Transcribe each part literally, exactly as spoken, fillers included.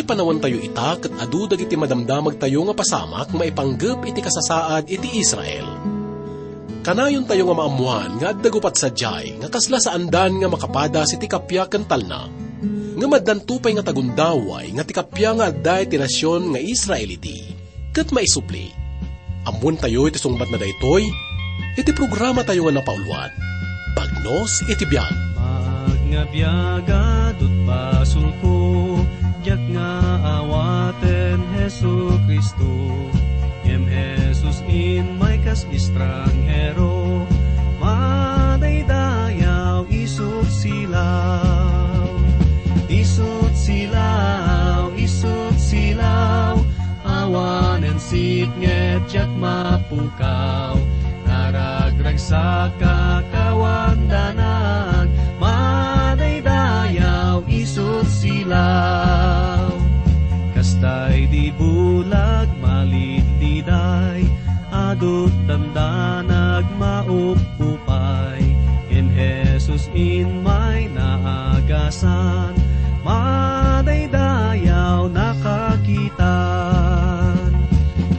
Panawantayo ita ket adu dagiti madamdamagtayo nga pasamak maipanggep iti kasasaad iti Israel. Kanayontayo nga maammoan nga adda guppat sadiay nga kasla saandan nga makapadas iti kappia ken talna. Ngem addanto pay nga tagundaway nga ti kappia nga adda iti nasion nga Israel idi. Ket maisubli, ammoentayo iti sungbatna daytoy iti programatayo nga napauluan, Bagnos iti Biag. Maag nga biag, adut basolko, diak nga awaten Jesu-Cristo. Ngem Jesus immay kas estranghero, madaydayaw isut silaw. Isut silaw, isut silaw, awanen sitnget diak mapukaw. Naragragsakak awan danag, madaydayaw isut silaw. Kastay di bulag malidliday, adut dandanag maupupay. Ken Jesus immay naagasan, madaydayaw nakakitan.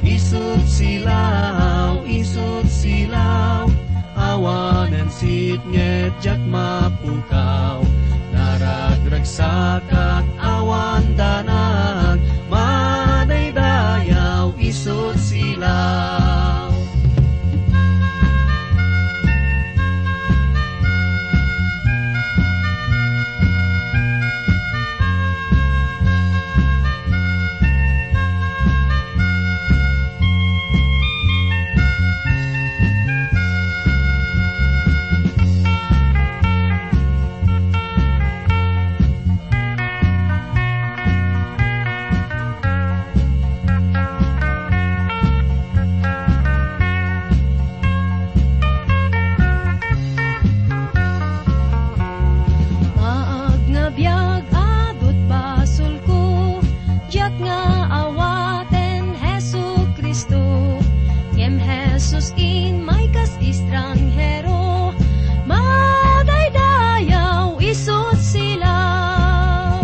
Isut silaw, isut silaw, awanen sitnget diak mapukaw. Naragragsakak awan danag, madaydayaw isut silaw. Maag nga biag, adut basolko, diak nga awaten Jesu-Cristo. Ngem Jesus immay kas estranghero, madaydayaw isut silaw.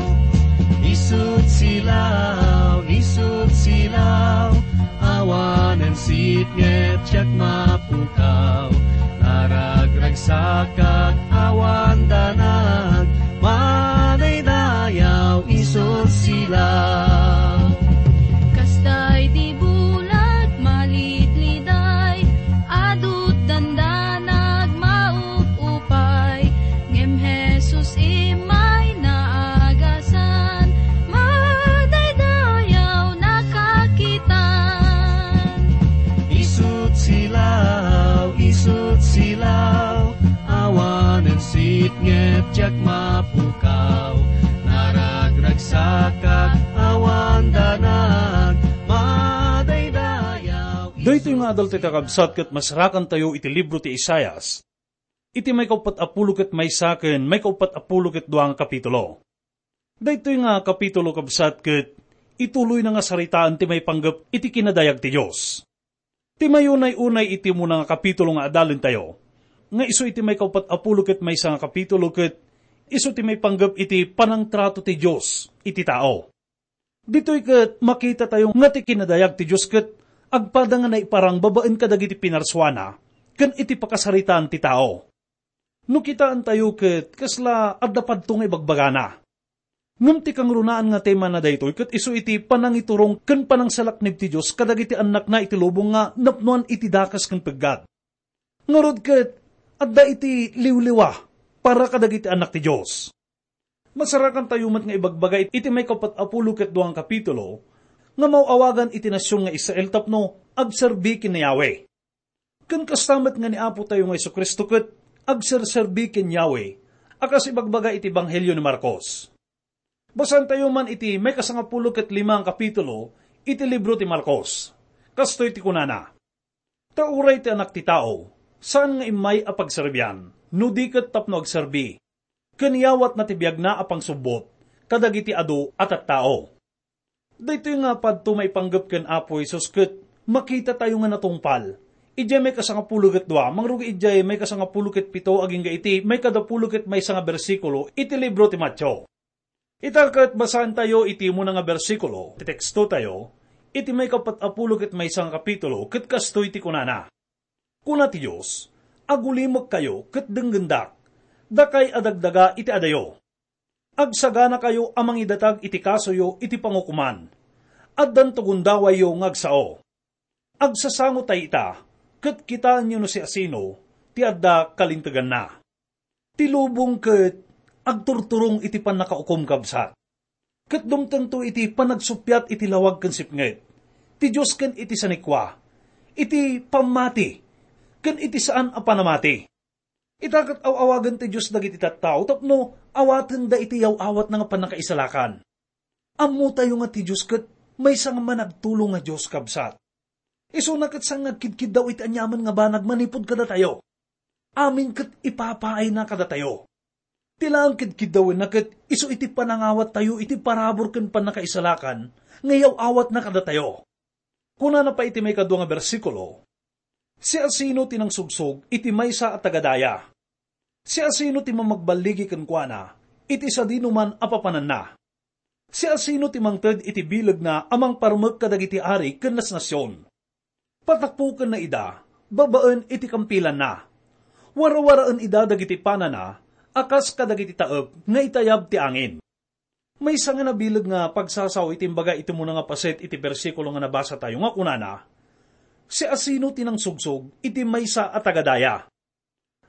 Isut silaw, isut silaw, awanen sitnget diak mapukaw. Naragragsakak awan danag, madaydayaw isut silaw. Kastay ti bulag malidliday, adut dandanag maup-upay, ngem Jesus immay naagasan, madaydayaw nakakitan. Isut silaw, isut silaw, awanen sitnget diak mapukaw. Naragragsakak awan danag, madaydayaw. Daytoy nga adal ti kakabsat ket masarakantayo iti libro ti Isaias, iti maikauppat a pulo ket maysa ken maikauppat a pulo ket dua nga kapitulo. Daytoy nga kapitulo, kabsat, ket ituloyna nga saritaan ti maipanggep iti kinadayag ti Dios. Ti mayunay-unay iti umuna nga kapitulo nga adalentayo, nga isu iti maikauppat a pulo ket maysa nga kapitulo, ket isu ti maipanggep iti panangtrato ti Dios iti tao. Ditoy ket makitatayo nga ti kinadayag ti Dios ket agpada nga naiparang babaen kadagiti pinarsuana ken iti pakasaritaan ti tao. No kitaentayo ket kasla adda padto nga ibagbagana. Ngem ti kangrunaan nga temana daytoy ket isu iti panangiturong ken panangsalaknib ti Dios kadagiti annakna iti lubong nga napnoan iti dakes ken peggad. Ngarud ket, adda iti liwliwa para kadagiti annak ti Dios. Masarakantayo met nga ibagbaga iti maikauppat a pulo ket dua nga kapitulo nga maaw-awagan iti nasion nga Israel tapno agserbi ken ni Yahweh. Ken kasta met nga ni Apotayo nga Jesu-Cristo ket agserserbi ken Yahweh a kas ibagbaga iti Ebanghelio ni Marcos. Basaentayo man iti maikasangapulo ket lima nga kapitulo iti libro ti Marcos. Kastoy ti kunana, "Ta uray ti Anak ti Tao, saan nga immay a pagserbian, no di ket tapno agserbi, ken iyawatna ti biagna a pangsubbot kadagiti adu a tattao." Daytoy nga padto maipanggep ken Apo Jesus ket makitatayo nga natungpal idiay maikasangapulo ket dua, mangrugi idiay maikasangapulo ket pito agingga iti maikadapulo ket maysa nga bersikulo iti libro ti Mateo. Ita ket basaentayo iti umuna nga bersikulo ti tekstotayo, iti maikapat a pulo ket maysa nga kapitulo, ket kastoy ti kunana, "Kuna ti Dios, 'Agulimekkayo ket denggendak, dakay a dagdaga iti adayo. Agsaganakayo a mangidatag iti kasoyo iti pangukoman. Addanto gundawayyo nga agsao. Agsasangotay ita, ket kitaenyo no siasino ti adda kalinteganna." Ti lubong ket agturturong iti pannakaukom, kabsat. Ket dumtengto iti panagsuppiat iti lawag ken sipnget, ti Dios ken iti sanikua, iti pammati, ken iti saan a panamati. Ita ket aw-awagan ti Dios dagiti tattao tapno awatenda iti yaw-awatna nga pannakaisalakan. Ammotayo nga ti Dios ket maysa nga managtulong nga Dios, kabsat. Isuna ket saan nga agkidkiddaw iti aniaman nga banag manipud kadatayo. Amin ket ipapaayna kadatayo. Ti laeng kidkiddawenna ket isu iti panangawattayo iti parabur ken pannakaisalakan nga iyaw-awatna kadatayo. Kunana pay iti maikadua nga bersikulo, "Siasino ti nangsugsog iti maysa a tagadaya? Siasino ti mamagballigi kenkuana iti sadinoman a papananna? Siasino ti mangted iti bilegna a mangparmek kadagiti ari ken nasnasion? Patapukenna ida babaen iti kampilanna. Warawaraen ida dagiti panana a kas kadagiti taep nga itayab ti angin." Maysa nga nabileg nga pagsasao iti imbaga iti umuna nga paset iti bersikulo nga nabasatayo nga kunana, "Siasino ti nangsugsog iti maysa a tagadaya?"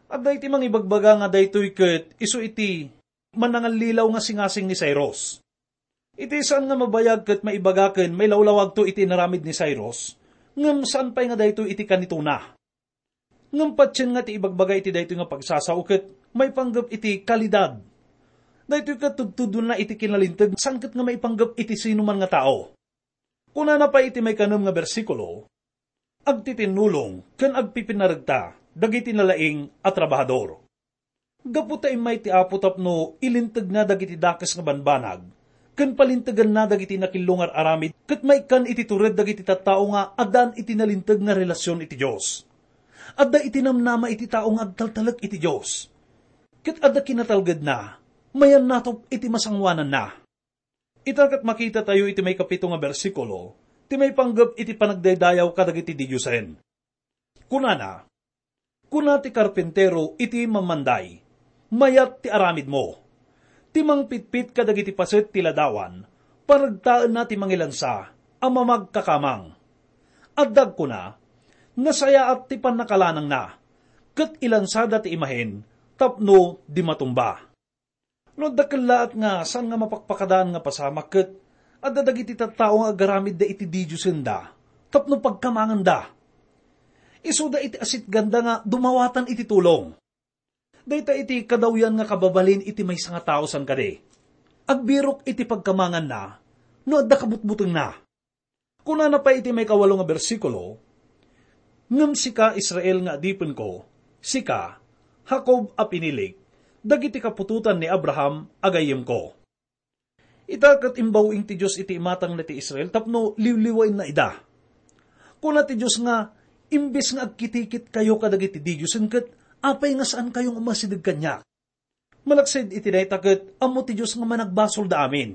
Adda iti mangibagbaga nga daytoy ket isu iti manangallilaw nga singasing ni Cyrus. Iti saan nga mabayag ket maibaga ken mailawlawagto iti inaramid ni Cyrus, ngem saan pay nga daytoy iti kanitona. Ngem patien nga ti ibagbaga iti daytoy nga pagsasao ket maipanggep iti kalidad. Daytoy ket tudtudonna iti kinalinteg, saan ket nga maipanggep iti sinuman nga tao. Kunana pay iti maikanem nga bersikulo, "Agtitinnulong ken agpipinaregta dagiti nalaing a trabahador." Gapu ta immay ti Apo tapno ilintegna dagiti dakes nga banbanag, ken palinteganna dagiti nakillo nga ar-aramid, ket maikkan iti tured dagiti tattao nga addaan iti nalinteg nga relasion iti Dios. Adda iti namnama iti tao nga agtaltalek iti Dios. Ket adda kinatalgedna, mayannatop iti masangoananna. Ita ket makitatayo iti maikapito nga bersikulo ti maipanggep iti panagdaydayaw kadagiti didiosen. Kunana, "Kuna ti karpintero iti mammanday, 'Mayat ti aramidmo.' Ti mangpitpit kadagiti paset ti ladawan, paregtaenna ti mangilansa a mamagkakamang. Adda agkuna, 'Nasayaat ti pannakalanangna,' ket ilansada ti imahen tapno di matumba." No adda kellaat nga saan nga mapakpakadaan nga pasamak ket adda dagiti tattao nga agaramidda iti didiosenda tapno pagkamangenda. Isuda iti asitganda nga dumawatan iti tulong. Dayta iti kadawyan nga kababalin iti maysa nga tao saan kadi. Agbirok iti pagkamanganna no adda kabutbutengna. Kunana pay iti maikawalo nga bersikulo, "Ngem sika, Israel nga adipenko, sika, Jacob a pinilik, dagiti kaputotan ni Abraham a gayyemko." Ita ket imbaw-ing ti Dios iti imatangna ti Israel tapno liwliwaenna ida. Kuna ti Dios nga, "Imbes nga agkitikitkayo kadagiti didiosen ket apay nga saankayo nga umasideg kaniak?" Malaksid iti dayta ket ammo ti Dios nga managbasolda amin.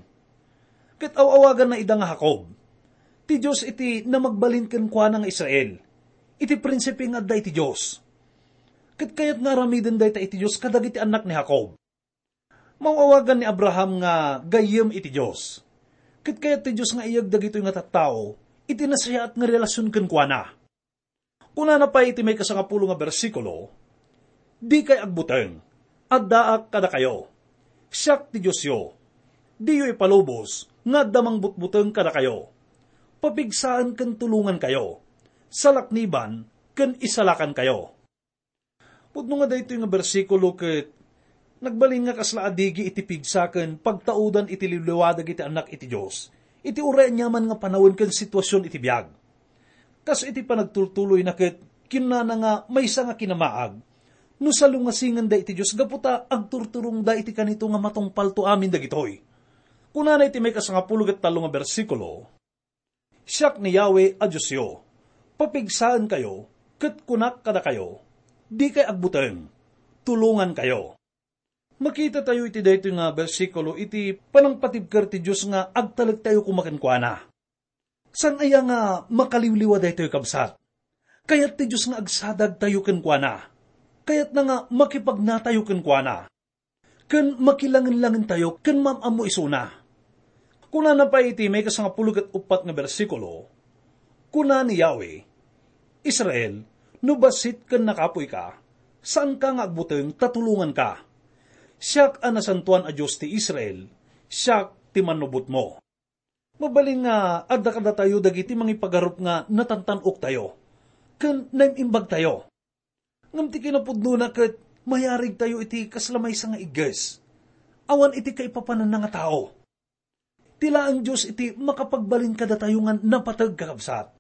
Ket aw-awaganna ida nga Jacob. Ti Dios iti namagbalin kenkuana nga Israel, iti prinsipe nga adda iti Dios. Ket kayat nga aramiden dayta iti Dios kadagiti annak ni Jacob. Maw-awagan ni Abraham nga gayyem iti Dios. Ket kayat ti Dios nga iyeg dagitoy nga tattao iti nasayaat nga relasion kenkuana. Kunana pay iti maikasangapulo nga bersikulo, "Dikay agbuteng, addaak kadakayo. Siak ti Diosyo. Diyo ipalubos nga adda mangbutbuteng kadakayo. Papigsaen ken tulongankayo. Salakniban ken isalakankayo." Pudno nga daytoy nga bersikulo ket nagbalin nga kasla adigi iti pigsa ken pagtaudan iti liwliwa dagiti annak iti Dios iti uray aniaman nga panawen ken situasion iti biag. Kas iti panagtultuloyna ket kinnana nga maysa nga kinamaag no salungasingenda iti Dios gapu ta agturturongda iti kanito nga matungpalto amin dagitoy. Kunana iti maikasangapulo ket tallo nga bersikulo, "Siak ni Yahweh a Diosyo. Papigsaenkayo, ket kunak kadakayo, dikay agbuteng. Tulongankayo." Makitatayo iti daytoy nga bersikulo iti panangpatibker ti Dios nga agtalektayo koma kenkuana. Saan aya nga makaliwliwa daytoy, kabsat? Kayat ti Dios nga agsadagtayo kenkuana. Kayatna nga makipagnatayo kenkuana. Ken makilangenlangentayo ken maam-ammo isuna. Kunana pay iti maikasangapulo ket uppat nga bersikulo, kuna ni Yahweh, "Israel, no bassit ken nakapuy ka, saanka nga agbuteng ta tulonganka. Siak a nasantoan a Dios ti Israel, siak ti mannubotmo." Mabalin nga adda kadatayo dagiti mangipagarup nga natantan-oktayo ken naim-imbagtayo. Ngem ti kinapudnona ket mayarigtayo iti kasla maysa nga igges. Awan iti kaipapananna nga tao. Ti laeng Dios iti makapagbalin kadatayo nga napateg, kakabsat.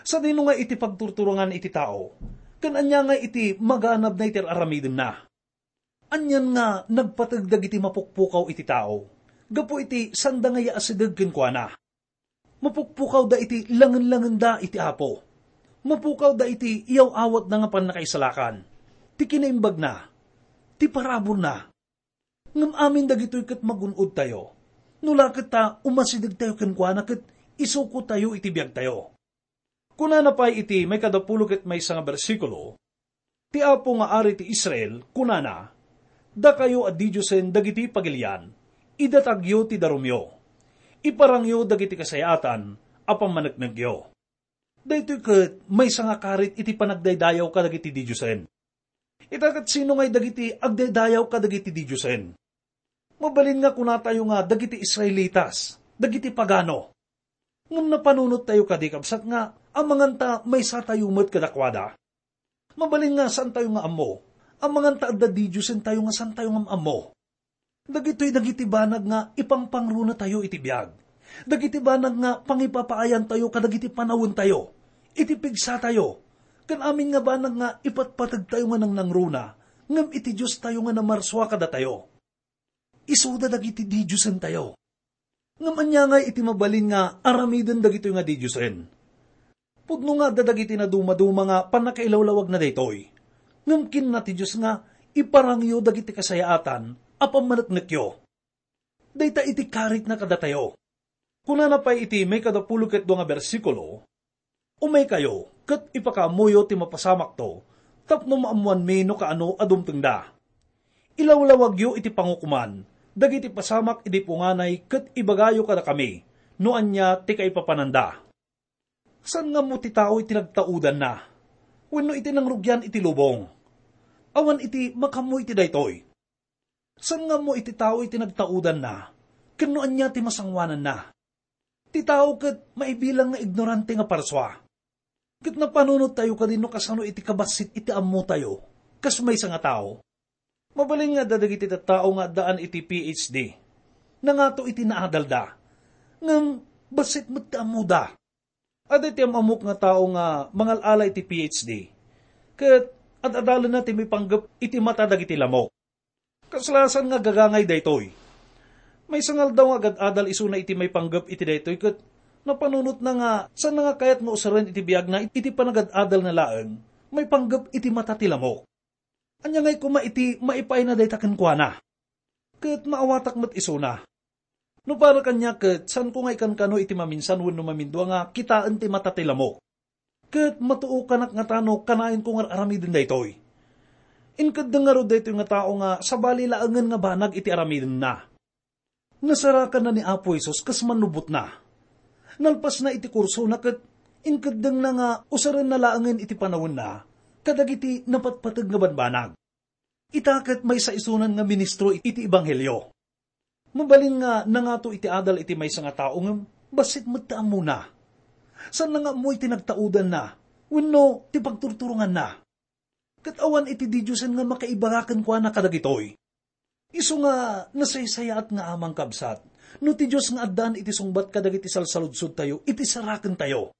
Sadino nga iti pagturturongan iti tao? Ken ania nga iti maganabna iti ar-aramidenna? Anian nga nagpateg dagiti mapukpukaw iti tao gapu iti sanda nga yaasideg kenkuana? Mapukpukawda iti langenlangenda iti Apo. Mapukawda iti iyaw-awatna nga pannakaisalakan, ti kinaimbagna, ti paraburna. Ngem amin dagitoy ket magun-odtayo. No la ket ta umasidegtayo kenkuana ket isukotayo iti biagtayo. Kunana pay iti maikadapulo ket maysa nga bersikulo, "Ti Apo nga Ari ti Israel, kunana, 'Dakayo a didiosen dagiti pagilian, idatagyo ti darumyo. Iparangyo dagiti kasayaatan a pammaneknekyo.'" Daytoy ket maysa nga karit iti panagdaydayaw kadagiti didiosen. Ita ket sino ngay dagiti agdaydayaw kadagiti didiosen? Mabalin nga kunatayo nga dagiti Israelitas, dagiti pagano. Ngem napanunottayo kadi, kabsat, nga amangan ta maysatayo met kadakuada? Mabalin nga saantayo nga ammo, amangan ta adda didiosentayo nga saantayo nga ammo. Dagitoy dagiti banag nga ipangpangronatayo iti biag. Dagiti banag nga pangipapaayantayo kadagiti panawentayo, iti pigsatayo, ken amin nga banag nga ipatpategtayo nga nangnangruna, ngem iti Diostayo nga namarsua kadatayo. Isuda dagiti didiosentayo. Ngem ania ngay iti mabalin nga aramiden dagitoy nga didiosen? Pudno nga adda dagiti nadumaduma nga pannakailawlawagna daytoy. Ngem kinuna ti Dios nga, "Iparangyo dagiti kasayaatan a pammaneknekyo." Dayta iti karitna kadatayo. Kunana pay iti maikadapulo ket dua nga bersikulo, "Umaykayo ket ipakaammoyo ti mapasamakto tapno maammoanmi no kaano a dumtengda. Ilawlawagyo iti pangukoman dagiti pasamak idi punganay ket ibagayo kadakami no ania ti kaipapananda." Saan nga ammo ti tao iti nagtaudanna wenno iti nangrugian iti lubong? Awan iti makaammo iti daytoy. Saan nga ammo iti tao iti nagtaudanna ken no ania ti masangoananna? Ti tao ket maibilang nga ignorante nga parsua. Ket napanunottayo kadi no kasano iti kabassit iti ammotayo kas maysa nga tao? Mabalin nga adda dagiti tattao nga addaan iti P H D. Nangato iti naadalda. Ngem bassit met ti ammoda. Adda iti am-ammok nga tao nga mangal-ala iti P H D, ket ad-adalenna ti maipanggep iti mata dagiti lamok. Kasla saan nga gagangay daytoy. Maysa nga aldaw nga agad-adal isuna iti maipanggep iti daytoy ket napanunotna nga saanna nga kayat nga usaren iti biagna iti panagad-adalna laeng maipanggep iti mata ti lamok. Ania ngay koma iti maipaayna dayta kenkuana? Ket maawatak met isuna. No para kaniak ket saanko nga ikankano iti maminsan wenno mamindua nga kitaen ti mata ti lamok. Ket matuokanak ngata no kanaenko nga ar-aramiden daytoy. Inkeddeng ngarud daytoy nga tao nga sabali laengen nga banag iti aramidenna. Nasarakanna ni Apo Jesus kas mannubotna. Nalpasna iti kursona ket inkeddengna nga usarenna laengen iti panawenna kadagiti napatpateg nga banbanag. Ita ket maysa isunan nga ministro iti ebanghelio. Mabalin nga nangato iti adal iti maysa nga tao ngem bassit met ti ammona. Saanna nga ammo iti nagtaudanna wenno ti pagturturonganna. Ket awan iti didiosen nga makaibaga kenkuana kadagitoy. Isu nga nasaysayaat nga aman, kabsat, no ti Dios nga addaan iti sungbat kadagiti salsaludsodtayo iti sarakentayo.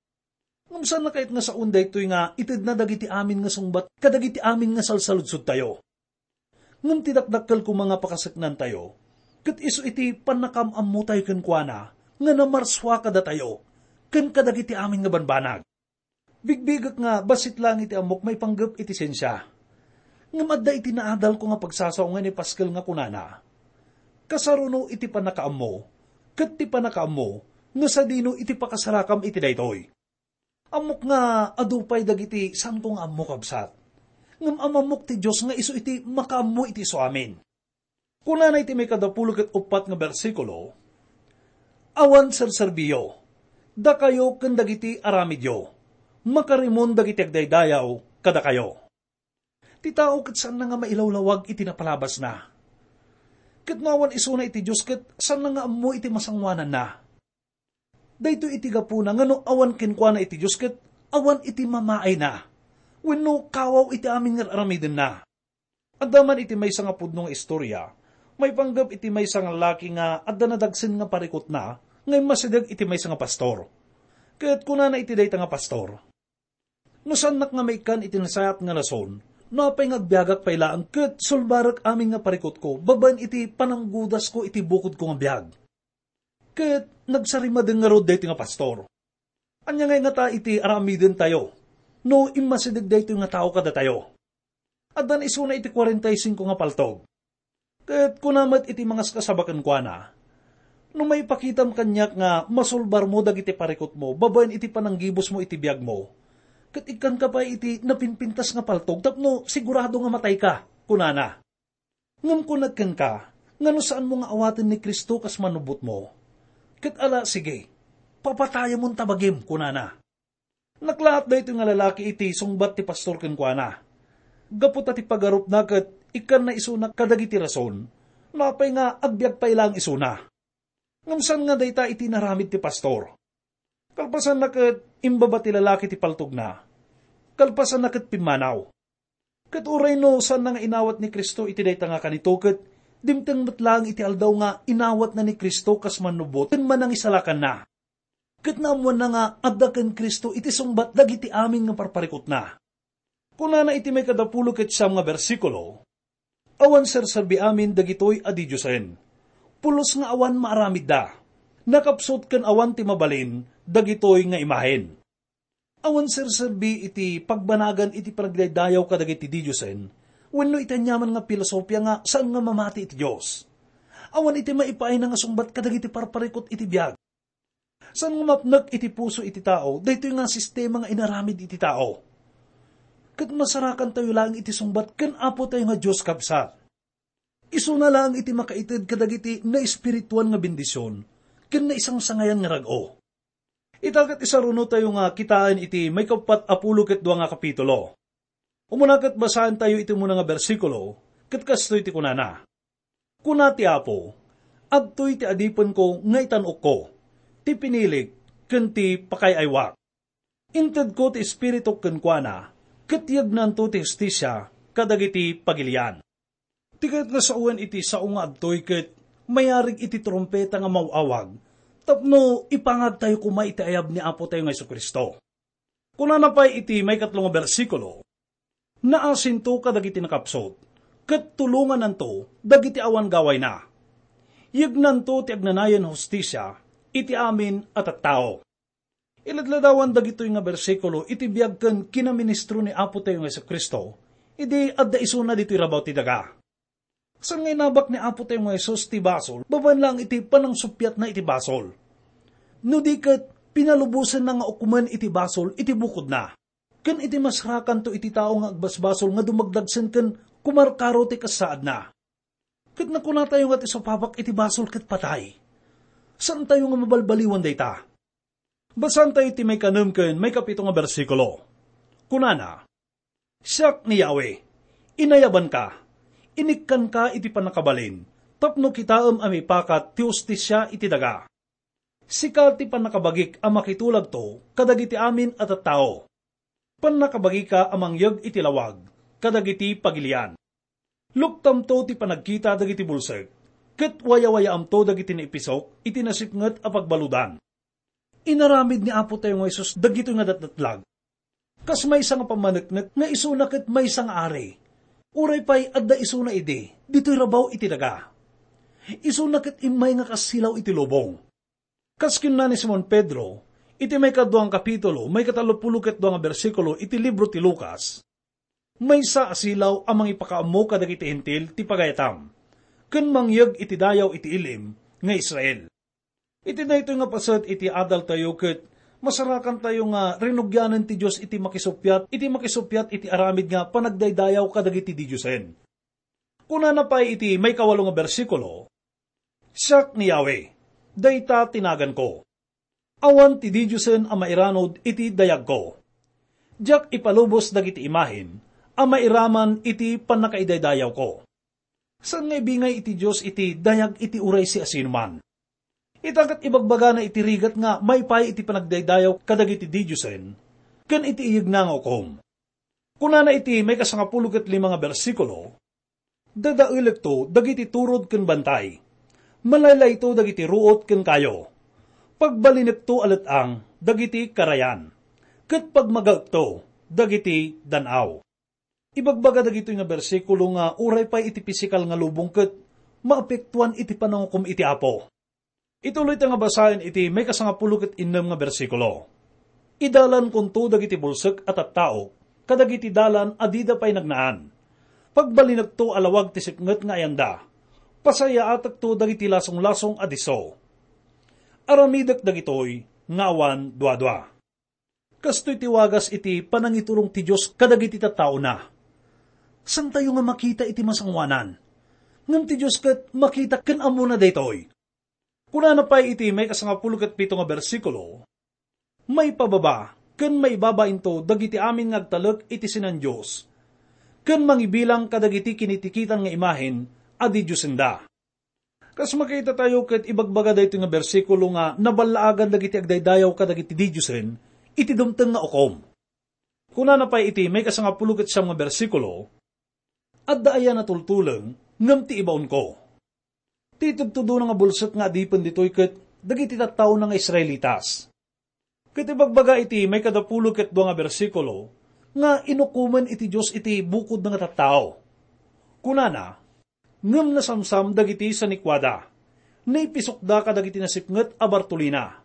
Ngem saan a kayat nga saon daytoy nga itedna dagiti amin nga sungbat kadagiti amin nga salsaludsodtayo. Ngem ti dakdakkel koma nga pakaseknantayo, ket isu iti pannakaam-ammotayo kenkuana nga namarsua kadatayo ken kadagiti amin nga banbanag. Bigbigek nga bassit laeng iti ammok maipanggep iti siensia. Ngem adda iti naadalko nga pagsasao nga naipaskel nga kunana, "Kasaruno iti pannakaammo, ket ti pannakaammo no sadino iti pakasarakam iti daytoy. Ammok nga adu pay dagiti saanko nga ammo, kabsat. Ngem amammok ti Dios nga isu iti makaammo iti isuamin." Kunana iti maikadapulo ket uppat nga bersikulo, "Awan serserbiyo, dakayo ken dagiti aramidyo, makarimon dagiti agdaydayaw kadakayo." Ti tao ket saanna nga mailawlawag iti napalabasna. Ket no awan isuna iti Dios, ket saanna nga ammo iti masangoananna. Daytoy iti gapuna nga no awan kenkuana iti Dios, ket awan iti mamaayna wenno kawaw iti amin nga ar-aramidenna. Adda man iti maysa nga pudno nga istorya maipanggep iti maysa nga laki nga adda nadagsen nga parikutna nga immasideg iti maysa nga pastor. Ket kunana iti dayta nga pastor, "No saannak nga maikkan iti nasayaat nga rason, no apay nga agbiagak pay laeng ket sulbarek amin nga parikutko babaen iti pananggudasko iti bukodko nga biag." Ket nagsarimadeng ngarud daytoy nga pastor. Ania ngay ngata iti aramidentayo no immasideg daytoy nga tao kadatayo? Addan isuna iti kuarenta y singko nga paltog. Ket kuna met iti mangaskasaba kenkuana, "No maipakitam kaniak nga masulbarmo dagiti parikutmo babaen iti pananggibusmo iti biagmo, ket ikkanka pay iti napinpintas nga paltog tapno sigurado nga matayka," kunana. "Ngem kunak kenka nga no saanmo nga awaten ni Cristo kas manubbotmo, ket ala, sige, papatayamon ta bagim," kunana. Naklaat daytoy nga lalaki iti sungbat ti pastor kenkuana. Gapu ta ti pagarupna ket ikkanna isuna kadagiti rason no apay nga agbiag pay laeng isuna. Ngem saan nga dayta iti inaramid ti pastor. Kalpasanna ket imbaba ti lalaki ti paltogna. Kalpasanna ket pimmanaw. Ket uray no saanna nga inawat ni Cristo iti dayta nga kanito, ket dimteng met laeng iti aldaw nga inawatna ni Cristo kas mannubbot ken manangisalakanna. Ket naammoanna nga adda ken Cristo iti sungbat dagiti amin nga parparikutna. Kunana iti maikadapulo ket siam nga bersikulo, "Awan serserbi amin dagitoy a didiosen. Pulos nga awan maaramidda. Nakapsut ken awan ti mabalin dagitoy nga imahen." Awan serserbi iti pagbanagan iti panagdaydayaw kadagiti didiosen wenno iti aniaman nga filosofia nga saan nga mamati iti Dios. Awan iti maipaayna nga sungbat kadagiti parparikut iti biag. Saan nga mapnek iti puso iti tao daytoy nga sistema nga inaramid iti tao. Ket masarakantayo laeng iti sungbat ken Apotayo nga Dios, kabsat. Isuna laeng iti makaited kadagiti naespirituan nga bendision ken naisangsangayan nga rag-o. Ita ket isarunotayo nga kitaen iti maikappat a pulo ket dua nga kapitulo. Umuna ket basaentayo iti umuna nga bersikulo, ket kastoy ti kunana, "Kuna ti Apo, 'Adtoy ti adipenko nga itan-okko, ti pinilik, ken ti pakaay-aywak. Intedko ti Espirituk kenkuana, ket yegnanto ti hustisia kadagiti pagilian.'" Ti kayat nga sawen iti sao nga adtoy ket mayarig iti trumpeta nga maw-awag tapno ipangagtayo koma iti ayab ni Apotayo nga Jesu-Cristo. Kunana pay iti maikatlo nga bersikulo, "Naasinto kadagiti nakapsut, ket tulongananto dagiti awan gawayna. Yegnanto ti agnanayon a hustisia iti amin a tattao." Iladladawan dagitoy nga bersikulo iti biag ken kinaministro ni Apotayo nga Jesu-Cristo idi adda isuna ditoy rabaw ti daga. Saan nga inabak ni Apotayo nga Jesus ti basol babaen laeng iti panangsuppiatna iti basol. No di ket, pinalubosenna nga ukomen iti basol iti bukodna. Ken iti masrakanto iti tao nga agbasbasol nga dumagdagsen ken kumarkaro ti kasaadna. Ket nakunatayo nga ti supapak iti basol ket patay. Saantayo nga mabalbaliwan dayta. Basaentayo ti maikanem ken maikapito nga bersikulo. Kunana, "Siak ni Yahweh, inayabanka, inikkanka iti pannakabalin, tapno kitaem a mipakat ti hustisia iti daga. Sika ti pannakabagik a makitulagto kadagiti amin a tattao. Pannakabagika a mangyeg iti lawag kadagiti pagilian. Luktamto ti panagkita dagiti bulsek, ket wayawayaamto dagiti naipisok iti nasipnget a pagbaludan." Inaramid ni Apotayo nga Jesus dagitoy nga datdatlag. Kas maysa nga pammaneknek nga isuna ket maysa nga ari. Uray pay adda isuna idi, ditoy rabaw iti daga. Isuna ket immay nga kassilaw iti lubong. Kas kinuna ni Simon Pedro, iti maikadua nga kapitulo, maikatallopulo ket dua nga bersikulo iti libro ti Lucas, maysa a silaw a mangipakaammo kadagiti Hentil ti pagayatam, ken mangyeg iti dayaw iti il-im nga Israel. Iti daytoy nga paset iti adaltayo ket masarakantayo nga rinugianen ti Dios iti makisuppiat, iti makisuppiat iti aramid nga panagdaydayaw kadagiti didiosen. Kunana pay iti maikawalo nga bersikulo, "Siak ni Yahweh, dayta ti naganko. Awan ti didiosen a mairanud iti dayagko. Diak ipalubos dagiti imahen a mairaman iti pannakaidaydayawko." Saan nga ibingay iti Dios iti dayag iti uray siasinoman. Ita ket ibagbagana iti rigat nga maipay iti panagdaydayaw kadagiti didiosen ken iti iyegna nga ukom. Kunana iti maikasangapulo ket lima nga bersikulo, "Dadaelekto dagiti turod ken bantay. Malaylayto dagiti ruot ken kayo. Pagbalinekto a let-ang dagiti karayan, ket pagmagaekto dagiti dan-aw." Ibagbaga dagitoy nga bersikulo nga uray pay iti pisikal nga lubong ket maapektuan iti panangukom iti Apo. Ituloy ta nga basaen iti maikasangapulo ket innem nga bersikulo, "Idalankonto dagiti bulsek a tattaok kadagiti dalan a dida pay nagnaan. Pagbalinekto a lawag ti sipnget nga ayanda. Pasayaatekto dagiti lasonglasong a disso. Aramidek dagitoy nga awan duadua." Kastoy ti wagas iti panangiturong ti Dios kadagiti tattaona. Santayo nga makita iti masangoanan. Ngem ti Dios ket makita ken ammona daytoy. Kunana pay iti maikasangapulo ket pito nga bersikulo, "Maipababa ken maibabainto dagiti amin nga agtalek iti sinan-Dios, ken mangibilang kadagiti kinitikitan nga imahen a didiosenda." Kas makitatayo ket ibagbaga daytoy nga bersikulo nga naballaagan dagiti agdaydayaw kadagiti didiosen iti dumteng nga ukom. Kunana pay iti maikasangapulo ket siam nga bersikulo, "Adda aya natultuleng ngem ti ibaonko?" Ti itudtudona nga bulsek nga adipen ditoy ket dagiti tattaona nga Israelitas. Ket ibagbaga iti maikadapulo ket dua nga bersikulo nga inukomen iti Dios iti bukodna nga tattao. Kunana, "Ngem nasamsam dagiti sanikuada, naipisokda kadagiti nasipnget a bartolina,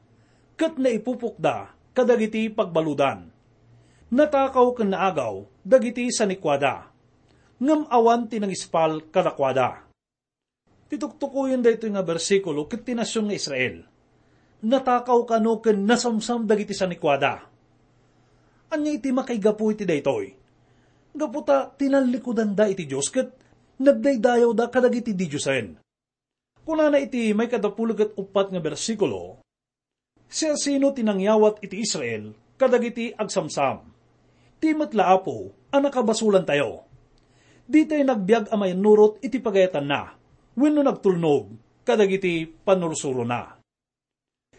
ket naipupokda kadagiti pagbaludan. Natakaw ken naagaw dagiti sanikuada, ngem awan ti nangispal kadakuada." Ti tuktukoyen daytoy nga bersikulo ket ti nasion nga Israel. Natakaw kano ken nasamsam dagiti sanikuada. Ania iti makaigapu iti daytoy? Gapu ta tinallikudanda iti Dios ket nagdaydayawda kadagiti didiosen. Kunana iti maikadapulo ket uppat nga bersikulo, "Siasino ti nangyawat iti Israel kadagiti agsamsam? Ti met la, Apo, a nakabasolantayo. Ditay nagbiag a mayannurot iti pagayatanna wenno nagtulnog kadagiti pannursurona."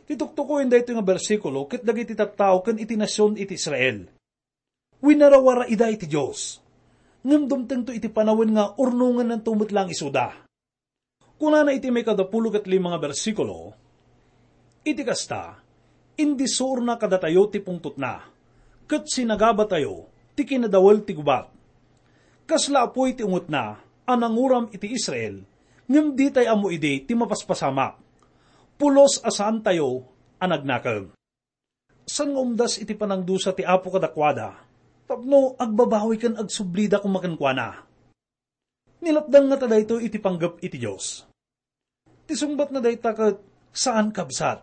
Ti tuktukoyen daytoy nga bersikulo ket dagiti tattao ken iti nasion iti Israel. Winarawara ida iti Dios. Ngem dumtengto iti panawen nga urnongennanto met laeng isuda. Kunana iti maikadapulo ket lima nga bersikulo, "Iti kasta, indisurna kadatayo ti pungtotna, ket sinagabatayo ti kinadawel ti gubat. Kasla apuy ti ungetna a nanguram iti Israel, ngem ditay ammo idi ti mapaspasamak. Pulos a saantayo a nagnakem." Saan nga umdas iti panangdusa ti Apo kadakuada tapno agbabawi ken agsublida koma kenkuana. Nilapdan ngata daytoy iti panggep iti Dios. Ti sungbatna dayta ket saan, kabsat.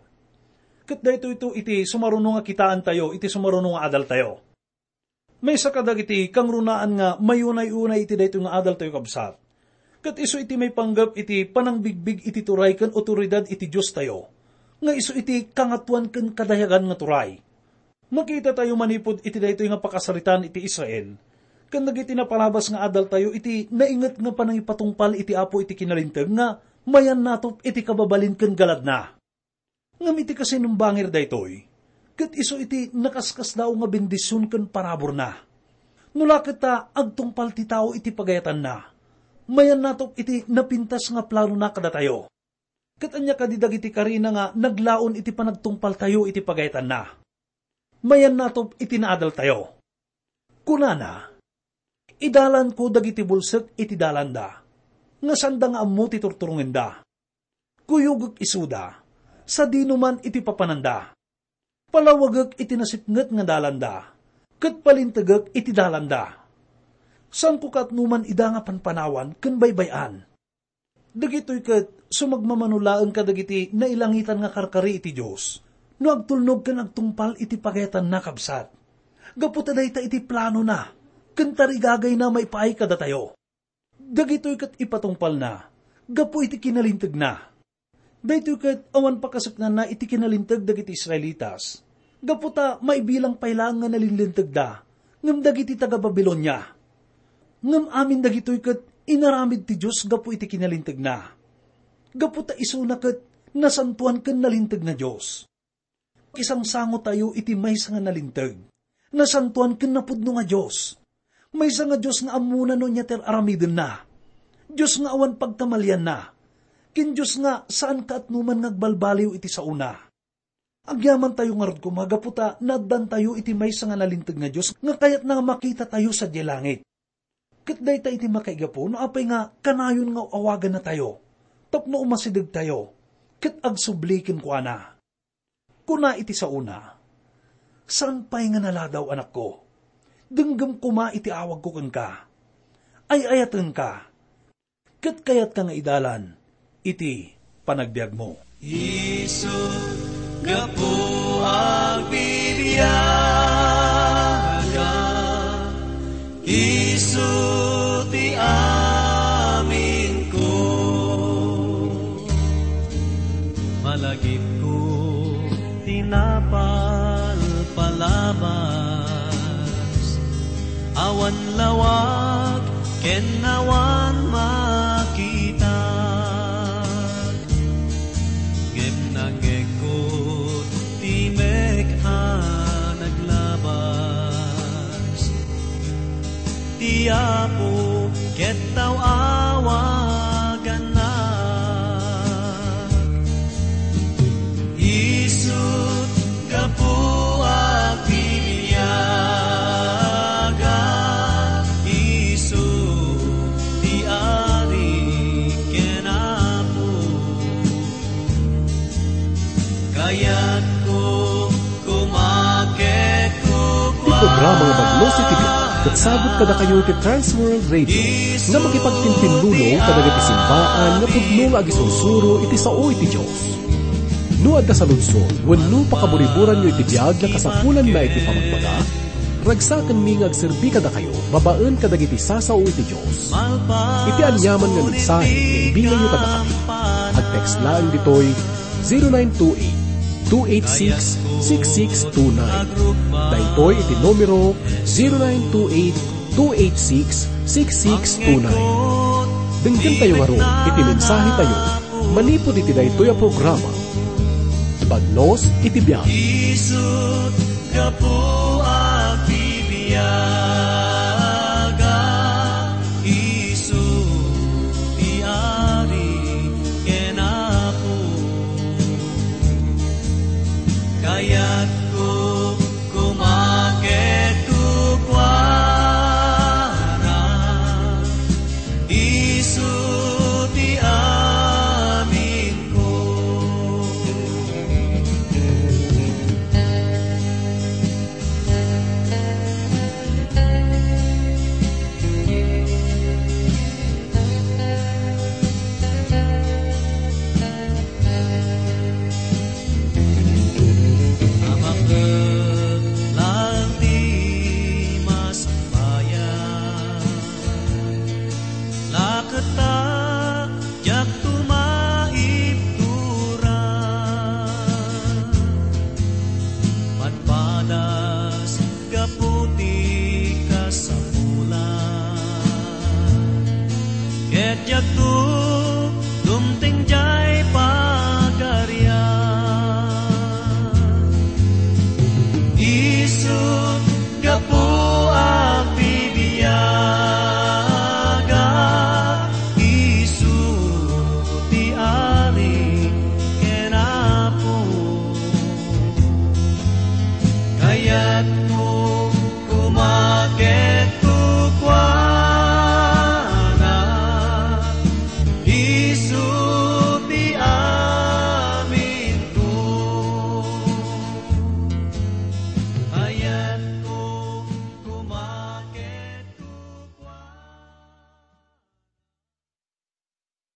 Ket daytoyto iti sumaruno nga kitaentayo iti sumaruno nga adaltayo. Maysa kadagiti kangrunaan nga mayunay-unay iti daytoy nga adaltayo, kabsat, ket isu iti maipanggep iti panangbigbig iti turay ken awtoridad iti Diostayo, nga isu iti Kangatoan ken Kadayagan nga turay. Makitatayo manipud iti daytoy nga pakasaritaan iti Israel ken dagiti napalabas nga adaltayo iti nainget nga panangipatungpal iti Apo iti kinalinteg nga mayannatop iti kababalin ken galadna. Ngem iti kasinnumbangir daytoy, ket isu iti nakaskasdaaw nga bendision ken paraburna. No la ket ta agtungpal ti tao iti pagayatanna, mayannatop iti napintas nga planona kadatayo. Ket ania kadi dagiti karina nga naglaon iti panagtungpaltayo iti pagayatanna? Mayannatop iti naadaltayo. Kunana, "Idalanko dagiti bulsek iti dalanda, nga sanda nga ammo ti turturongenda. Kuyogek isuda, sadino man iti papananda. Palawagek iti nasipnget nga dalanda, ket palintegek iti dalanda. Saanko kaatnoman ida nga panpanawan ken baybay-an. Dagitoy ket sumagmamano laeng kadagiti nailangitan nga karkari iti Dios no agtulnog ken agtungpal iti pagayatanna, kabsat. Gapu ta dayta iti planona ken tarigagayna maipaay kadatayo. Dagitoy ket ipatungpalna gapu iti kinalintegna. Daytoy ket awan pakasuknanna iti kinalinteg dagiti Israelitas, gapu ta maibilang pay laeng nga nalinlintegda ngem dagiti taga-Babilonia. Ngem amin dagitoy ket inaramid ti Dios gapu iti kinalintegna. Gapu ta isuna ket nasantoan ken nalinteg nga Dios. Pakisangsangotayo iti maysa nga nalinteg, nasantoan ken napudno nga Dios. Maysa nga Dios nga ammona no ania ti ar-aramidenna. Dios nga awan pagkamalianna. Ken Dios nga saan kaatnoman nga agbalbaliw iti saona. Agyamantayo ngarud koma gapu ta naaddantayo iti maysa nga nalinteg nga Dios nga kayatna nga makitatayo sadiay langit. Ket dayta iti makaigapu no apay nga kanayon nga awagannatayo tapno umasidegtayo ket agsubli kenkuana. Kuna iti saona, "Saan pay nga naladaw, anakko? Denggem koma iti awagko kenka. Ay-ayatenka, ket kayatka nga idalan iti panagbiagmo." Isu, gapu agbibiaga, isu ti aminko. Malagipko ti napalpalabas, awan lawag ken awan makita. Ngem nangngegko ti mek a naglabas. Ti Apo ket awagannak. Isut' gapu a piniaga, isu ti Ari ken Apo. Kayatko koma ket kukua. Ti programa nga Bagnos iti Biag ket sagut kadakayo ti Trans World Radio nga makipagtintinlulong kadagiti simbaan nga pudno nga agisursuro iti sao iti Dios. No adda saludsod wenno pakaburiburanyo iti biag nga kasapulanna iti pamagbaga, ragsakenmi nga agserbi kadakayo babaen kadagiti sasao iti Dios. Iti aniaman nga mensahe nga ibingayyo kadakami, ag-text laeng ditoy zero nine two eight, two eight six, six six two nine. Daytoy iti numero, zero nine two eight, two eight six, six six two nine. Denggen tayo ngarud iti mensahe tayo manipud iti daytoy a programa, Bagnos iti Biag. Isut' gapu a piniaga.